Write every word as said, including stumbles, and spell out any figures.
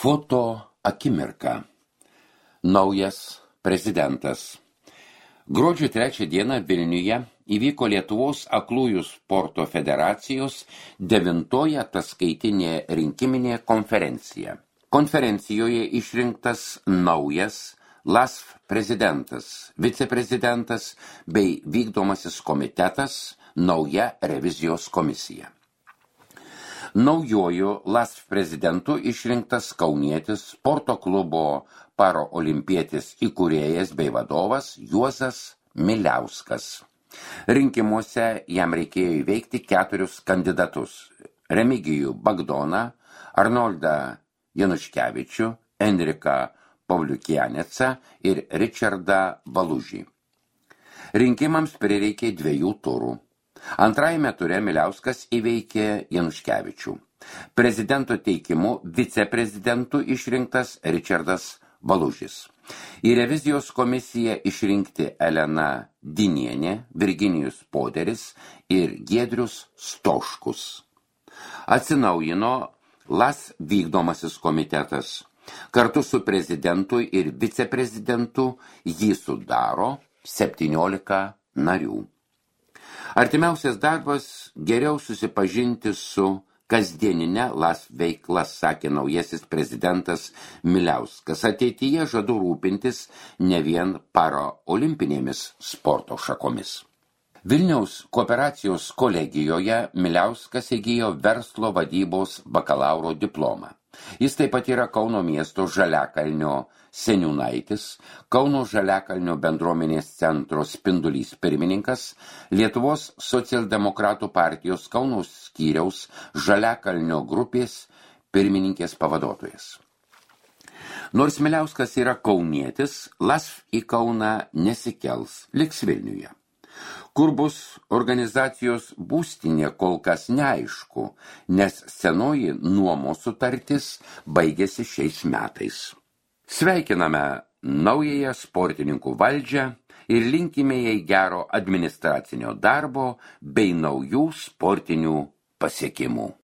Foto akimirka. Naujas prezidentas. Gruodžio trečią dieną Vilniuje įvyko Lietuvos aklųjų sporto federacijos devintoji ataskaitinė rinkiminė konferencija. Konferencijoje išrinktas naujas L A S F prezidentas, viceprezidentas bei vykdomasis komitetas, nauja revizijos komisija. Naujoju L A S F prezidentu išrinktas kaunietis sporto klubo paraolimpietis įkūrėjas bei vadovas Juozas Miliauskas. Rinkimuose jam reikėjo įveikti keturius kandidatus – Remigijų Bagdoną, Arnoldą Januškevičių, Enriką Pavliukianecą ir Ričardą Valužį. Rinkimams prireikė dviejų turų. Antrajame ture Miliauskas įveikė Januškevičių. Prezidento teikimu viceprezidentu išrinktas Ričardas Valužis. Į revizijos komisiją išrinkti Elena Dinienė, Virginijus Poderis ir Giedrius Stoškus. Atsinaujino L A S vykdomasis komitetas. Kartu su prezidentu ir viceprezidentu jį sudaro septyniolika narių. Artimiausias darbas geriau susipažinti su kasdieninė L A S veikla, sakė naujasis prezidentas Miliauskas. Ateityje žadu rūpintis ne vien paraolimpinėmis sporto šakomis. Vilniaus kooperacijos kolegijoje Miliauskas įgijo verslo vadybos bakalauro diplomą. Jis taip pat yra Kauno miesto Žaliakalnio seniūnaitis, Kauno Žaliakalnio bendruomenės centro Spindulys pirmininkas, Lietuvos socialdemokratų partijos Kauno skyriaus Žaliakalnio grupės pirmininkės pavaduotojas. Nors Miliauskas yra kaunietis, L A S F į Kauną nesikels, liks Vilniuje. Kur bus organizacijos būstinė, kol kas neaišku, nes senoji nuomos sutartis baigėsi šiais metais. Sveikiname naująją sportininkų valdžią ir linkime jai gero administracinio darbo bei naujų sportinių pasiekimų.